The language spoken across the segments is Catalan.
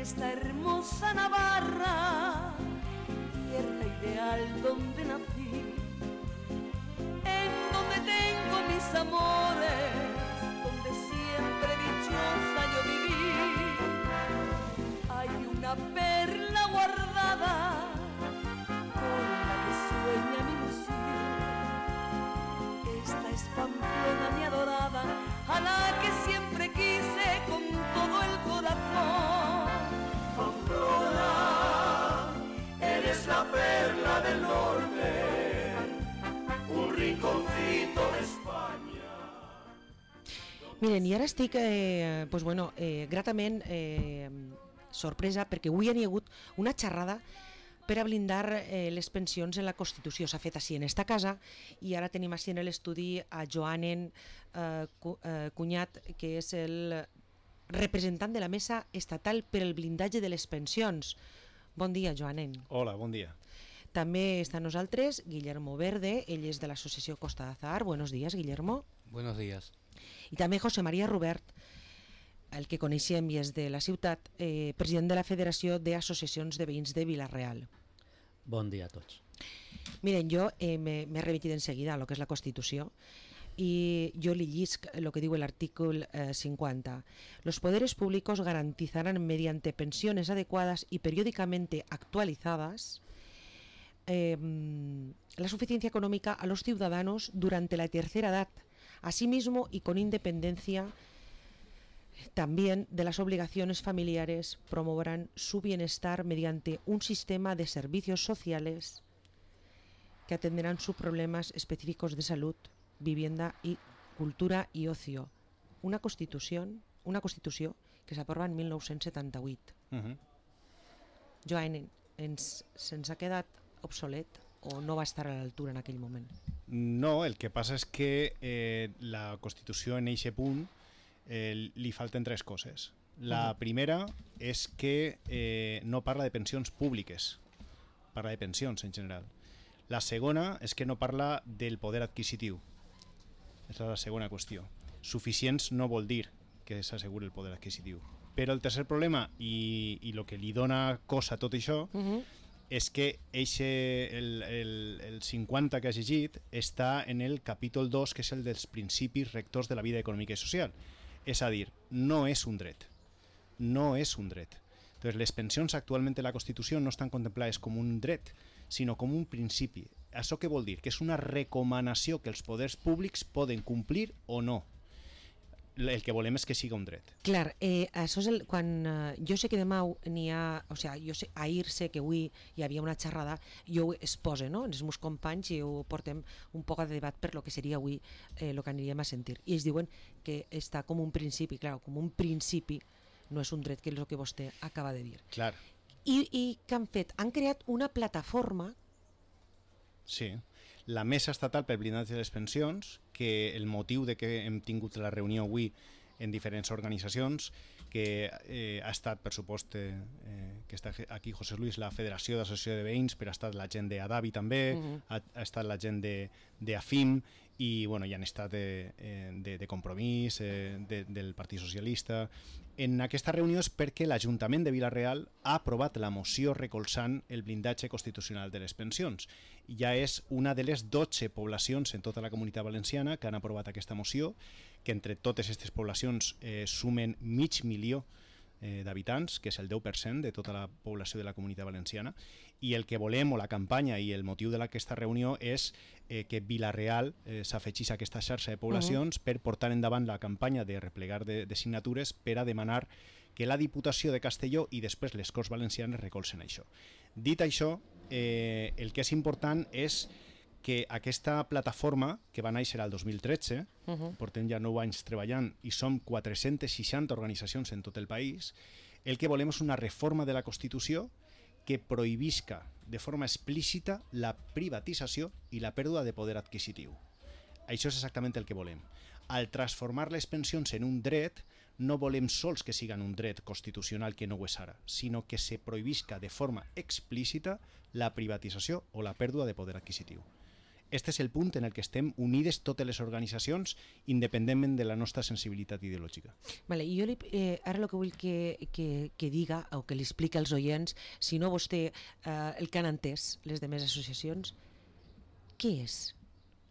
esta hermosa Navarra, tierra ideal donde nací, en donde tengo mis amores, donde siempre dichosa yo viví. Hay una perla guardada con la que sueña mi ilusión. Esta es Pamplona mi adorada, a la que siempre quise con todo el corazón. Pamplona, eres la perla del norte, un rinconcito de España. Miren, i ara estic gratament sorpresa perquè avui hi ha hagut una xerrada per a blindar les pensions en la Constitució. S'ha fet així en esta casa i ara tenim així en l'estudi a Joanen Cunyat, que és el representant de la Mesa Estatal per al blindatge de les pensions. Bon dia, Joanen. Hola, bon dia. També està amb nosaltres Guillermo Verde, ell és de l'associació Costa d'Azahar. Buenos días, Guillermo. Buenos días. I també José María Rubert, el que coneixem i és de la ciutat, president de la Federació d'Associacions de Veïns de Vila-real. Bon dia a tots. Miren, jo m'he remitit en seguida a lo que és la Constitució y yo le llisc lo que digo el artículo 50. Los poderes públicos garantizarán mediante pensiones adecuadas y periódicamente actualizadas la suficiencia económica a los ciudadanos durante la tercera edad, asimismo y con independencia también de las obligaciones familiares, promoverán su bienestar mediante un sistema de servicios sociales que atenderán sus problemas específicos de salud, vivienda y cultura y ocio. Una constitució que s'aprova en 1978. Joan, se'ns ha quedat obsolet o no va estar a l'altura en aquell moment? No, el que passa és que la Constitució en eixe punt li falten tres coses. La primera és que no parla de pensions públiques, parla de pensions en general. La segona és que no parla del poder adquisitiu. Aquesta és la segona qüestió. Suficients no vol dir que s'asseguri el poder adquisitiu. Però el tercer problema, i el que li dona cosa a tot això, és que el 50 que has llegit està en el capítol 2, que és el dels principis rectors de la vida econòmica i social. És a dir, no és un dret. No és un dret. Entonces, les pensions actualment en la Constitució no estan contemplades com un dret, sinó com un principi. Això què vol dir? Que és una recomanació que els poders públics poden complir o no. El que volem és que siga un dret. Clar, això és quan jo sé que demà n'hi ha, o sigui, jo sé, ahir sé que avui hi havia una xerrada, jo ho exposo, no?, els meus companys, i ho portem un poc a debat per lo que seria avui el que aniríem a sentir. I ells diuen que està com un principi, clar, com un principi, no és un dret, que és el que vostè acaba de dir. Clar. I què han fet? Han creat una plataforma. Sí, la Mesa Estatal per Blindatge de les Pensions, que el motiu de que hem tingut la reunió avui en diferents organitzacions, que ha estat, per supost, que està aquí José Luis, la Federació d'Associació de Veïns, però ha estat la gent d'Adavi també, ha estat la gent d'AFIM, i bueno, hi han estat de Compromís, del Partit Socialista. En aquesta reunió és perquè l'Ajuntament de Vila-real ha aprovat la moció recolzant el blindatge constitucional de les pensions. Ja és una de les 12 poblacions en tota la Comunitat Valenciana que han aprovat aquesta moció, que entre totes aquestes poblacions sumen 500.000 d'habitants, que és el 10% de tota la població de la Comunitat Valenciana, i el que volem, o la campanya i el motiu d'aquesta reunió, és que Vila-real s'afegís a aquesta xarxa de poblacions per portar endavant la campanya de replegar de signatures per a demanar que la Diputació de Castelló i després les Corts Valencianes recolzen això. Dit això, el que és important és que aquesta plataforma, que va néixer al 2013, portem ja 9 anys treballant i som 460 organitzacions en tot el país, el que volem és una reforma de la Constitució que prohibisca de forma explícita la privatització i la pèrdua de poder adquisitiu. Això és exactament el que volem. Al transformar les pensions en un dret, no volem sols que siguin un dret constitucional que no ho és ara, sinó que se prohibisca de forma explícita la privatització o la pèrdua de poder adquisitiu. Este és el punt en el que estem unides totes les organitzacions, independentment de la nostra sensibilitat ideològica. Vale, i jo ara el que vull que diga o que li expliqui als oients, si no vostè el que han entès les demés associacions, què és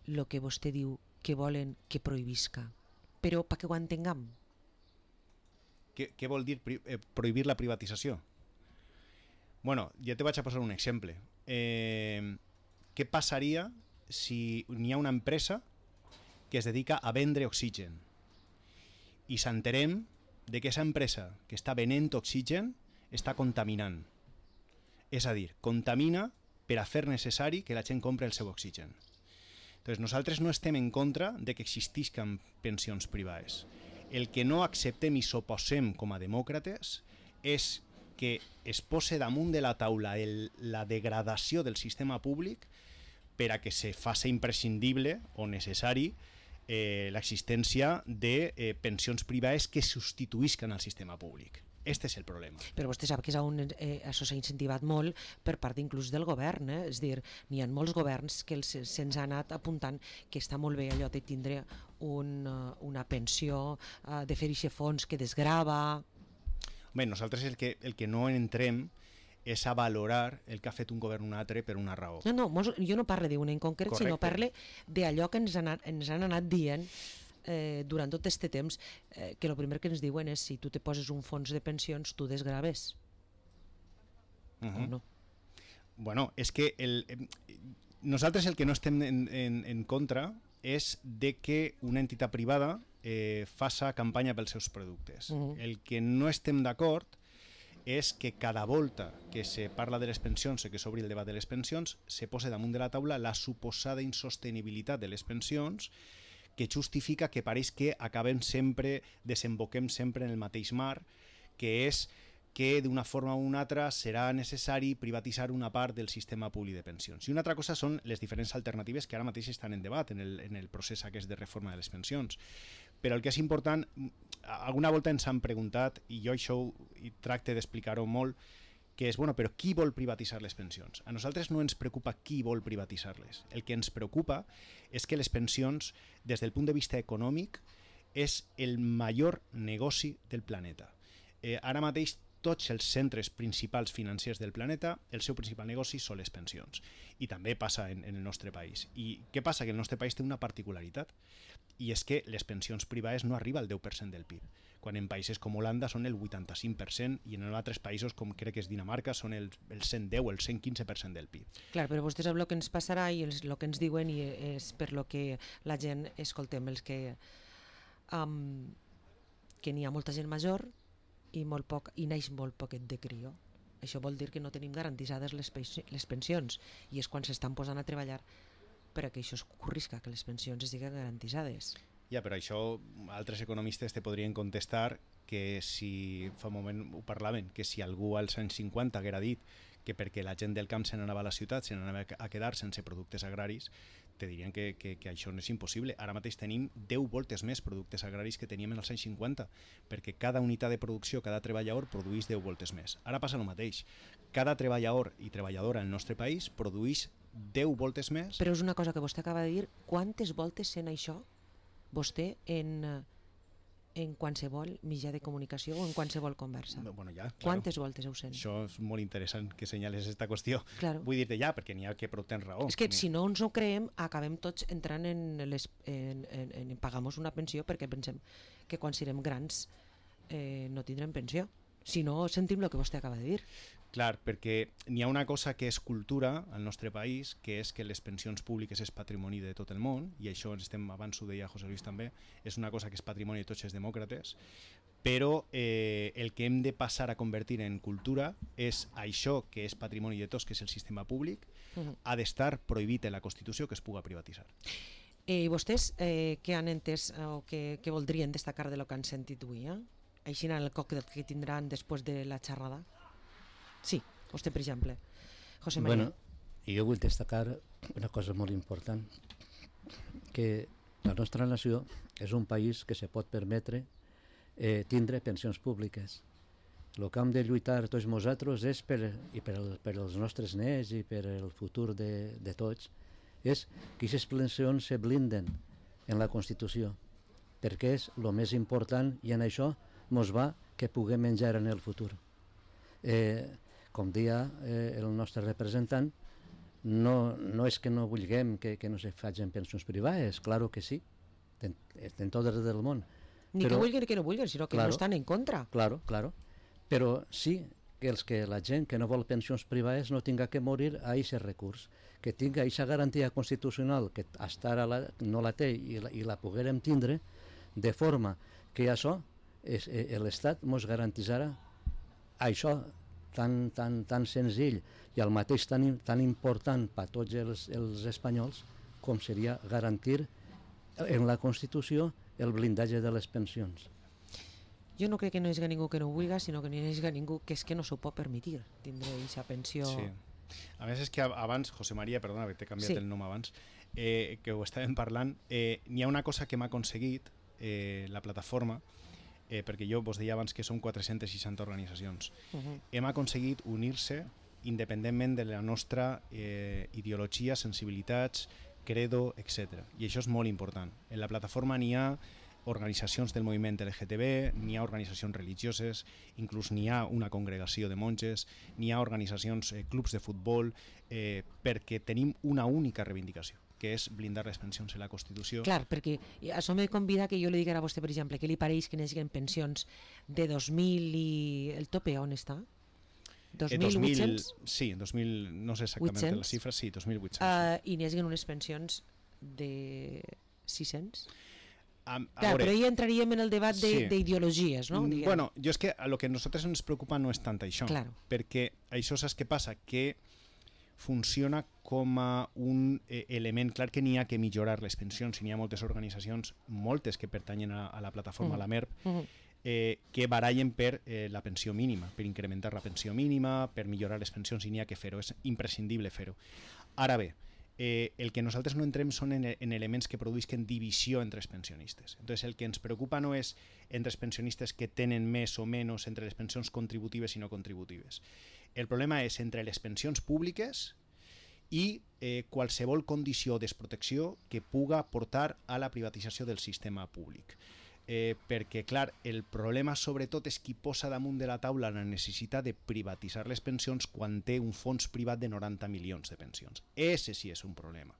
el que vostè diu que volen que prohibisca? Però perquè ho entenguem. Què vol dir prohibir la privatització? Bueno, ja te vaig a posar un exemple. Què passaria si n'hi ha una empresa que es dedica a vendre oxigen i s'enterem de que aquesta empresa que està venent oxigen està contaminant? És a dir, contamina per a fer necessari que la gent compri el seu oxigen. Entonces, nosaltres no estem en contra de que existisquen pensions privades. El que no acceptem i s'oposem com a demòcrates és que es posi damunt de la taula la degradació del sistema públic per a que se faci imprescindible o necessari l'existència de pensions privades que substituïsquen al sistema públic. Este és el problema. Però vostè sap que això s'ha incentivat molt per part inclús del govern, És a dir, n'hi ha molts governs que se'ns ha anat apuntant que està molt bé allò de tindre una pensió, de fer aquest fons que desgrava. Bé, nosaltres el que no entrem és a valorar el que ha fet un govern un altre per una raó. No, jo no parlo d'un en concret, Correcte. sinó parlo d'allò que ens han anat dient durant tot aquest temps, que el primer que ens diuen és si tu te poses un fons de pensions, tu desgraves. O no? Bueno, és que nosaltres el que no estem en contra és de que una entitat privada faça campanya pels seus productes. El que no estem d'acord és que cada volta que se parla de les pensions, que s'obri el debat de les pensions, se posa damunt de la taula la suposada insostenibilitat de les pensions, que justifica que pareix que desemboquem sempre en el mateix mar, que és que d'una forma o una altra serà necessari privatitzar una part del sistema públic de pensions. I una altra cosa són les diferents alternatives que ara mateix estan en debat en el procés aquest de reforma de les pensions. Però el que és important, alguna volta ens han preguntat, i jo això tracte d'explicar-ho molt, que és, bueno, però qui vol privatitzar les pensions? A nosaltres no ens preocupa qui vol privatitzar-les. El que ens preocupa és que les pensions, des del punt de vista econòmic, és el major negoci del planeta. Ara mateix tots els centres principals financers del planeta, el seu principal negoci són les pensions. I també passa en el nostre país. I què passa? Que el nostre país té una particularitat, i és que les pensions privades no arriben al 10% del PIB, quan en països com Holanda són el 85% i en altres països, com crec que és Dinamarca, són el 110 o el 115% del PIB. Clar, però vostè sap el que ens passarà i el que ens diuen, i és per lo que la gent escoltem, els que n'hi ha molta gent major i neix molt poquet de crió. Això vol dir que no tenim garantitzades les pensions, i és quan s'estan posant a treballar per a que això es corrisca, que les pensions estiguin garantitzades. Ja, però això altres economistes te podrien contestar que si, fa un moment ho parlaven, que si algú als anys 50 haguera dit que perquè la gent del camp se n'anava a la ciutat, se n'anava a quedar sense productes agraris, te dirien que això no és impossible. Ara mateix tenim 10 voltes més productes agraris que teníem en els anys 50, perquè cada unitat de producció, cada treballador produeix 10 voltes més. Ara passa el mateix. Cada treballador i treballadora al nostre país produeix 10 voltes més. Però és una cosa que vostè acaba de dir, quantes voltes sent això vostè en qualsevol mitjà de comunicació o en qualsevol conversa? Bueno, ja, claro. Quantes voltes ho sent? Això és molt interessant que senyales aquesta qüestió. Claro. Vull dir-te ja, perquè n'hi ha que prou tens raó. És que si no ens ho creem, acabem tots entrant en pagamos una pensió perquè pensem que quan serem grans no tindrem pensió. Si no, sentim el que vostè acaba de dir. Clar, perquè n'hi ha una cosa que és cultura al nostre país, que és que les pensions públiques és patrimoni de tot el món, i això abans ho deia José Luis també, és una cosa que és patrimoni de tots els demòcrates, però el que hem de passar a convertir en cultura és això que és patrimoni de tots, que és el sistema públic, ha d'estar prohibit en la Constitució que es puga privatitzar. I vostès què han entès o què voldrien destacar de lo que han sentit avui? Així en el còctel que tindran després de la xerrada? Sí, vostè, per exemple. José María. Bueno, jo vull destacar una cosa molt important, que la nostra nació és un país que se pot permetre tindre pensions públiques. El que hem de lluitar tots nosaltres és per els nostres nets i per el futur de tots, és que aquestes pensions se blinden en la Constitució, perquè és el més important i en això ens va que puguem menjar en el futur. Com deia el nostre representant, no és que no vulguem que no se facin pensions privades, claro que sí, en tot el del món. Ni que vulguin que no vulguin, sinó que no estan en contra. Claro, però sí que la gent que no vol pensions privades no tinga que morir a aquest recurs, que tinga aquesta garantia constitucional que fins ara no la té i la poguérem tindre, de forma que això l'Estat ens garantitzarà això tan senzill i al mateix tan important per a tots els espanyols com seria garantir en la Constitució el blindatge de les pensions. Jo no crec que no hi hagi ningú que no ho vulgui, sinó que no hi hagi ningú que és que no s'ho pot permetre, tindre aquesta pensió. Sí. A més és que abans, José María, perdona que t'he canviat el nom abans, que ho estàvem parlant, n'hi ha una cosa que m'ha aconseguit la plataforma, perquè jo vos deia abans que som 460 organitzacions. Hem aconseguit unir-se independentment de la nostra ideologia, sensibilitats, credo, etc. I això és molt important. En la plataforma n'hi ha organitzacions del moviment LGTB, n'hi ha organitzacions religioses, inclús n'hi ha una congregació de monges, n'hi ha organitzacions, clubs de futbol, perquè tenim una única reivindicació, que és blindar les pensions en la Constitució. Clar, perquè això me convida que jo li digui a vostè, per exemple, que li pareix que n'hi pensions de 2.000 i el tope on està? 2.800? Sí, 2.000, no sé exactament les xifres, sí, 2.800. I n'hi hagi unes pensions de 600? Clar, però ja entraríem en el debat d'ideologies, no? Bueno, jo és que el que a nosaltres ens preocupa no és tant això, perquè això saps què passa? Que funciona com a un element, clar que n'hi ha que millorar les pensions, i n'hi ha moltes organitzacions, moltes que pertanyen a la plataforma, a la MERP, que barallen per la pensió mínima, per incrementar la pensió mínima, per millorar les pensions, i n'hi ha que fer-ho, és imprescindible fer-ho. Ara bé, el que nosaltres no entrem són en elements que produïsquen divisió entre els pensionistes. Entonces, el que ens preocupa no és entre els pensionistes que tenen més o menys entre les pensions contributives i no contributives. El problema és entre les pensions públiques i qualsevol condició o desprotecció que puga portar a la privatització del sistema públic. Perquè, clar, el problema sobretot és qui posa damunt de la taula la necessitat de privatitzar les pensions quan té un fons privat de 90 milions de pensions. Ese sí és un problema.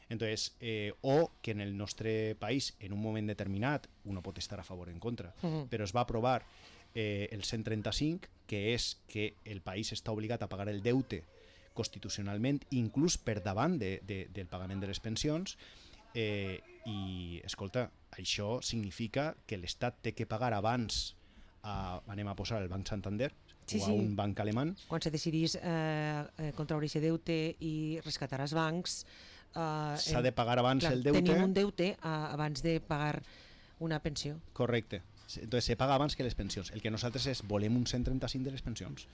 Entonces, o que en el nostre país, en un moment determinat, uno pot estar a favor o en contra, però es va aprovar el 135, que és que el país està obligat a pagar el deute constitucionalment, inclús per davant del pagament de les pensions, i, escolta, això significa que l'Estat té que pagar abans, anem a posar el Banc Santander, o a un banc alemany. Quan se decidís contraure aquest deute i rescatar els bancs... S'ha de pagar abans el deute. Tenim un deute abans de pagar una pensió. Correcte. Entonces se paga abans que les pensions. El que nosaltres és, volem un 135 de les pensions.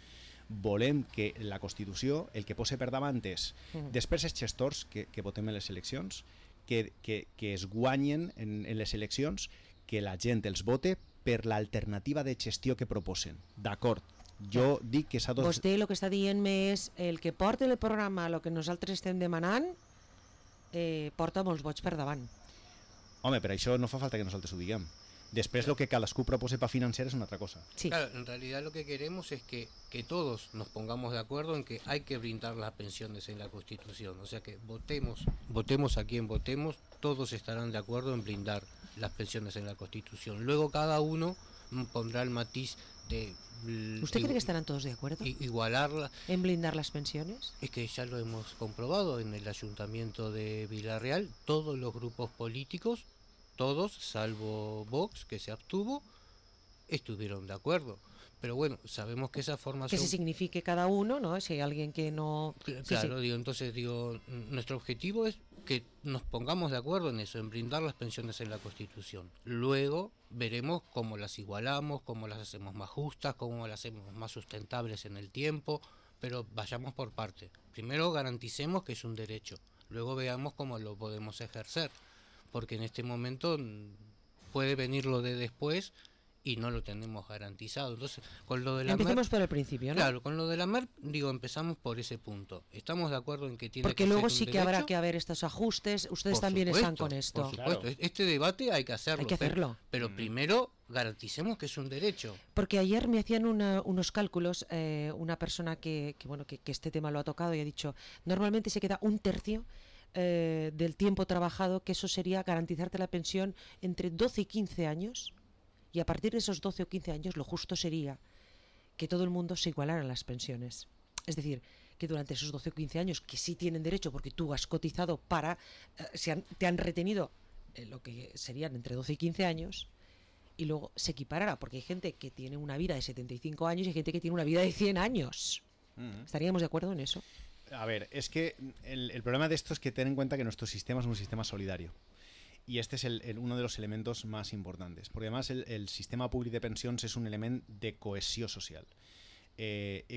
Volem que la Constitució, el que posa per davant és, després els gestors que votem en les eleccions, que es guanyen en les eleccions, que la gent els vote per l'alternativa de gestió que proposen. D'acord, jo dic que s'ha... Vostè el que està dient és el que porta el programa, el que nosaltres estem demanant, porta molts vots per davant. Home, per això no fa falta que nosaltres ho diguem. Después lo que cadascú propose para financiar es una otra cosa. Sí. Claro, en realidad lo que queremos es que todos nos pongamos de acuerdo en que hay que brindar las pensiones en la Constitución. O sea que votemos a quien votemos, todos estarán de acuerdo en blindar las pensiones en la Constitución. Luego cada uno pondrá el matiz de... ¿Usted cree que estarán todos de acuerdo? Igualarla. ¿En blindar las pensiones? Es que ya lo hemos comprobado en el Ayuntamiento de Villarreal, todos los grupos políticos, todos, salvo Vox, que se abstuvo, estuvieron de acuerdo. Pero bueno, sabemos que esa formación... Que se signifique cada uno, ¿no? Si hay alguien que no... Claro, sí. Entonces, nuestro objetivo es que nos pongamos de acuerdo en eso, en brindar las pensiones en la Constitución. Luego veremos cómo las igualamos, cómo las hacemos más justas, cómo las hacemos más sustentables en el tiempo, pero vayamos por parte. Primero garanticemos que es un derecho, luego veamos cómo lo podemos ejercer. Porque en este momento puede venir lo de después y no lo tenemos garantizado. Entonces, con lo de la Empecemos por el principio, ¿no? Claro, con lo de la MERP, empezamos por ese punto. ¿Estamos de acuerdo en que tiene Porque que luego ser un sí que derecho? habrá que haber estos ajustes. Ustedes Por también están supuesto, con esto. Por supuesto, Claro. este debate hay que hacerlo. Hay que hacerlo. Pero primero garanticemos que es un derecho. Porque ayer me hacían unos cálculos, una persona que este tema lo ha tocado y ha dicho, normalmente se queda un tercio del tiempo trabajado, que eso sería garantizarte la pensión entre 12 y 15 años, y a partir de esos 12 o 15 años lo justo sería que todo el mundo se igualara en las pensiones. Es decir, que durante esos 12 o 15 años que sí tienen derecho porque tú has cotizado para, te han retenido lo que serían entre 12 y 15 años, y luego se equiparará, porque hay gente que tiene una vida de 75 años y hay gente que tiene una vida de 100 años. ¿Estaríamos de acuerdo en eso? A ver, es que el problema de esto es que ten en cuenta que nuestro sistema es un sistema solidario. Y este es uno de los elementos más importantes. Porque además el sistema públic de pensions és un element de cohesió social.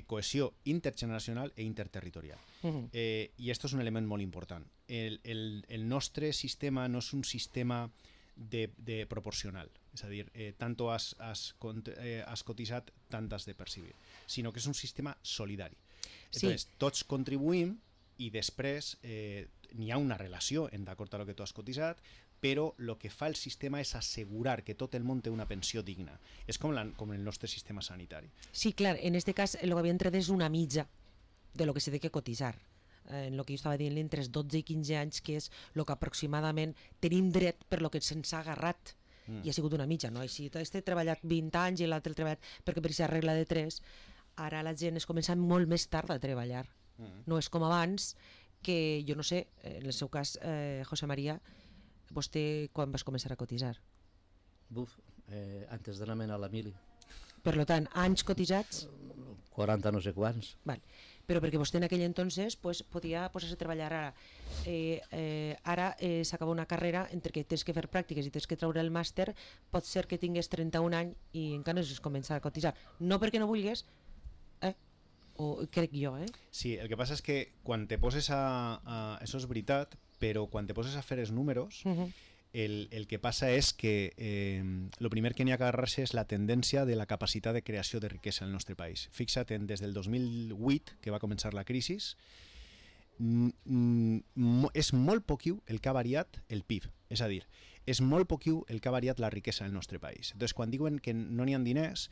Cohesió intergeneracional e interterritorial. I esto és un element molt important. El nostre sistema no és un sistema de proporcional. És a dir, tanto has cotitzat, tant has de percibir. Sinó que és un sistema solidari. Entonces, tots contribuïm i després n'hi ha una relació d'acord amb el que tu has cotitzat, però el que fa el sistema és assegurar que tot el món té una pensió digna. És com el nostre sistema sanitari. Sí, clar, en este cas el que havien tret és una mitja de lo que se té que cotitzar. En el que jo estava dient entre els 12 i 15 anys, que és el que aproximadament tenim dret per lo que se'ns ha agarrat. I ha sigut una mitja, no? I si este ha treballat 20 anys i l'altre ha treballat perquè per aquesta regla de 3, ara la gent es comença molt més tard a treballar. No és com abans, que jo no sé, en el seu cas, José María, vostè quan vas començar a cotitzar? Antes de la mena a la mili. Per tant, anys cotitzats? 40 no sé quants. Vale. Però perquè vostè en aquell entonces podia posar-se a treballar ara. Ara s'acaba una carrera entre que tens que fer pràctiques i tens que treure el màster, pot ser que tingues 31 anys i encara no has començat a cotitzar. No perquè no vulguis, o crec jo, Sí, el que passa és que quan te poses això és veritat, però quan te poses a fer els números, el que passa és que el primer que n'hi ha que agarrar-se és la tendència de la capacitat de creació de riquesa al nostre país. Fixa't, des del 2008, que va començar la crisi, és molt poquiu el que ha variat el PIB. És a dir, és molt poquiu el que ha variat la riquesa del nostre país. Entonces, quan diuen que no n'hi ha diners,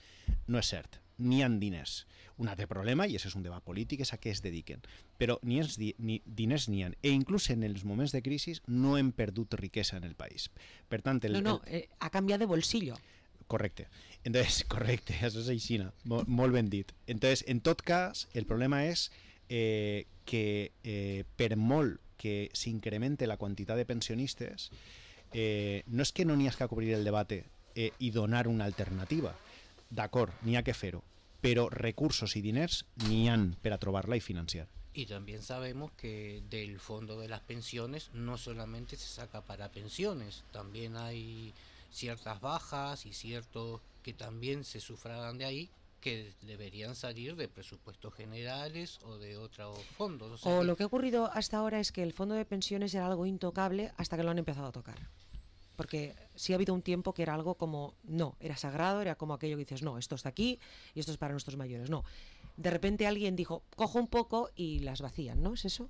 no és cert. N'hi ha diners. Un altre problema, i això és un debat polític, és a què es dediquen. Però diners n'hi ha. E inclús en els moments de crisi no hem perdut riquesa en el país. Per tant, ha canviat de bolsillo. Correcte. Entonces, correcte, això és així, molt ben dit. Entonces, en tot cas, el problema és que per molt que s'incremente la quantitat de pensionistes, no és que no n'hi ha que cobrir el debat i donar una alternativa. D'acord, n'hi ha que fer-ho, pero recursos y diners ni han para trobarla y financiar. Y también sabemos que del fondo de las pensiones no solamente se saca para pensiones, también hay ciertas bajas y ciertos que también se sufragan de ahí, que deberían salir de presupuestos generales o de otros fondos. O lo que ha ocurrido hasta ahora es que el fondo de pensiones era algo intocable hasta que lo han empezado a tocar. Porque sí ha habido un tiempo que era algo como, no, era sagrado, era como aquello que dices, no, esto está aquí y esto es para nuestros mayores. No, de repente alguien dijo, cojo un poco y las vacían, ¿no? ¿Es eso?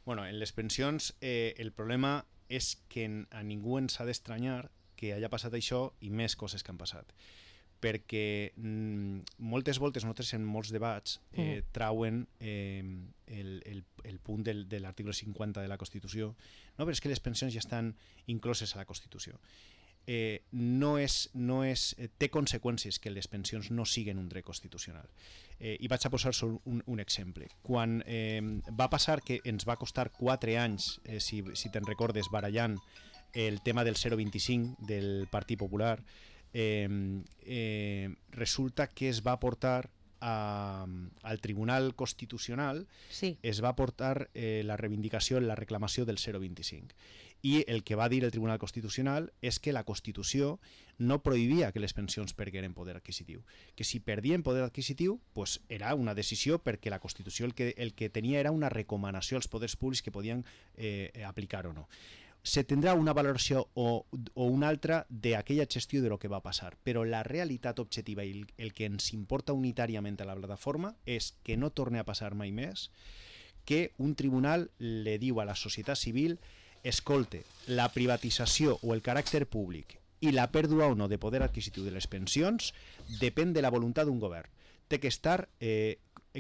Bueno, en les pensions el problema és que a ningú ens ha d'estranyar que haya passat això i més coses que han passat. Perquè moltes voltes nosaltres en molts debats trauen el punt de l'article 50 de la Constitució. No, però és que les pensions ja estan incloses a la Constitució. Té conseqüències que les pensions no siguin un dret constitucional. I vaig a posar un exemple. Quan va passar que ens va costar 4 anys, si te'n recordes, barallant el tema del 0,25 del Partit Popular, resulta que es va portar al Tribunal Constitucional, sí. Es va portar la reivindicació, la reclamació del 0,25. I el que va dir el Tribunal Constitucional és que la Constitució no prohibia que les pensions perderen poder adquisitiu. Que si perdien poder adquisitiu, pues era una decisió perquè la Constitució el que tenia era una recomanació als poders públics que podien aplicar o no. se tindrà una valoració o una altra d'aquella gestió de lo que va passar, però la realitat objectiva i el que ens importa unitàriament a la plataforma és que no torni a passar mai més que un tribunal le diu a la societat civil: escolte, la privatització o el caràcter públic i la pèrdua o no de poder adquisitiu de les pensions depèn de la voluntat d'un govern. Té que estar,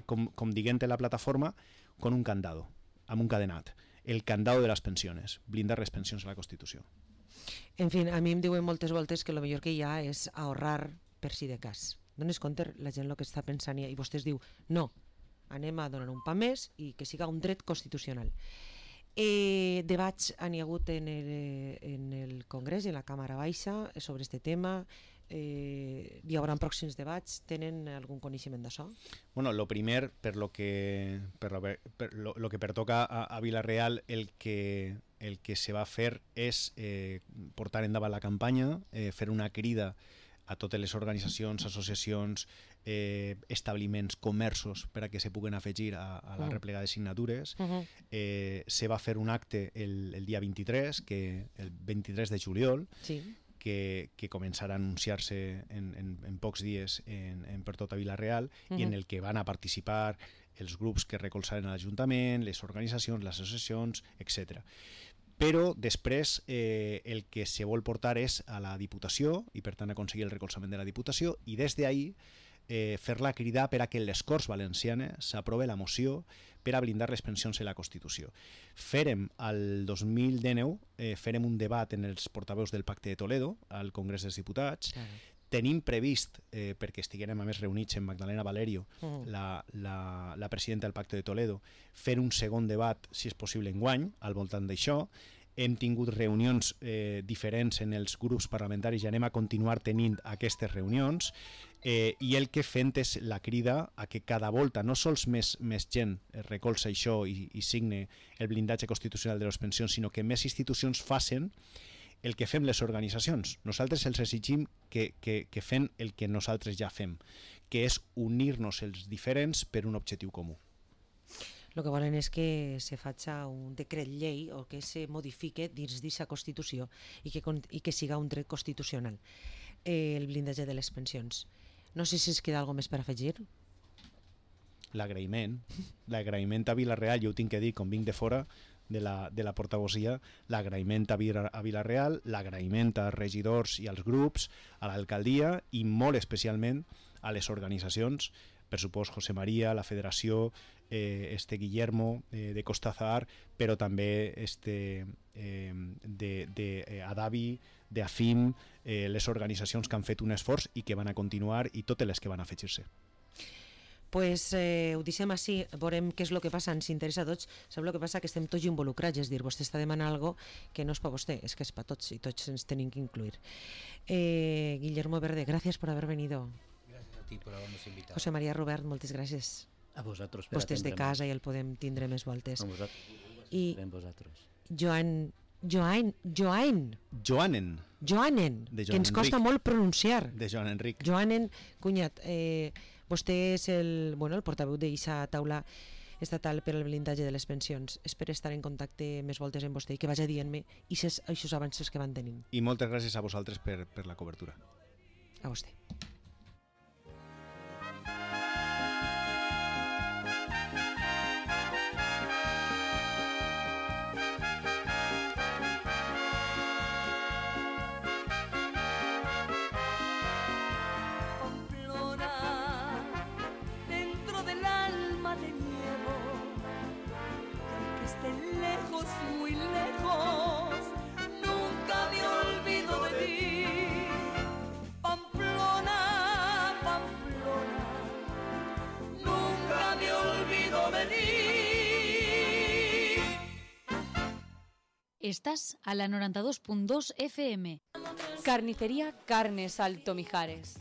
com diguem la plataforma, con un candado, amb un cadenat. El candado de les pensions, blindar les pensions a la Constitució. En fi, a mi em diuen moltes voltes que el millor que hi ha és ahorrar per si de cas. Dones compte la gent el que està pensant i vostès diu no, anem a donar un pa més i que siga un dret constitucional. Debats han hi hagut en el Congrés i en la Càmera Baixa sobre aquest tema. Hi haurà pròxims debats. Tenen algun coneixement d'això? Bueno, lo primer, per lo que pertoca a Vila-real, el que se va fer és portar endavant la campanya, fer una crida a totes les organitzacions, associacions, establiments, comerços per a que se puguen afegir a la replega de signatures. Se va fer un acte el dia 23, el 23 de juliol, que començarà a anunciar-se en pocs dies per tota Vila-real, i en el que van a participar els grups que recolzaren l'Ajuntament, les organitzacions, les associacions, etc. Però després el que se vol portar és a la Diputació i per tant aconseguir el recolzament de la Diputació, i des d'ahí fer-la cridar per a que en les Corts Valencianes s'aprove la moció per a blindar les pensions en la Constitució. Fèrem al 2019 fèrem un debat en els portaveus del Pacte de Toledo al Congrés dels Diputats. Tenim previst, perquè estiguérem a més reunits amb Magdalena Valerio, la presidenta del Pacte de Toledo, fer un segon debat, si és possible enguany, al voltant d'això. Hem tingut reunions diferents en els grups parlamentaris i anem a continuar tenint aquestes reunions, i el que fem és la crida a que cada volta no sols més gent recolza això i signe el blindatge constitucional de les pensions, sinó que més institucions facin el que fem les organitzacions. Nosaltres els exigim que fem el que nosaltres ja fem, que és unir-nos els diferents per un objectiu comú. El que volen és que se faci un decret llei o que se modifique dins d'aquesta Constitució i que siga un dret constitucional el blindatge de les pensions. No sé si es queda alguna més per afegir. L'agraïment a Vila-real, jo ho tinc que dir, com vinc de fora de la portavosia, l'agraïment a Vila-real, l'agraïment als regidors i als grups, a l'alcaldia i molt especialment a les organitzacions, per supost José María, la Federació, Guillermo de Costa Azahar, però també d'Adavi, d'Afim, les organitzacions que han fet un esforç i que van a continuar, i totes les que van a afegir-se. Pues ho deixem així, veurem què és el que passa, ens interessa a tots. Sabeu el que passa? Que estem tots involucrats, és dir, vostè està demanant alguna cosa que no és per vostè, és que és per tots i tots ens tenim que incluir. Guillermo Verde, gràcies per haver venido. Gràcies a ti per haver-nos invitat. José María Robert, moltes gràcies. A vosaltres per vostè és de casa i el podem tindre més voltes. A vosaltres. I vosaltres. Joanen, que ens costa molt pronunciar. De Joan Enric. Joanen, cunyat, vostè és el portaveu d'aquesta taula estatal per al blindatge de les pensions. Espero estar en contacte més voltes amb vostè i que vagi dient-me aquests avanços que van tenint. I moltes gràcies a vosaltres per la cobertura. A vostè. Muy lejos, nunca me olvido de ti. Pamplona, Pamplona, nunca me olvido de ti. Estás a la 92.2 FM. Carnicería Carnes Alto Mijares.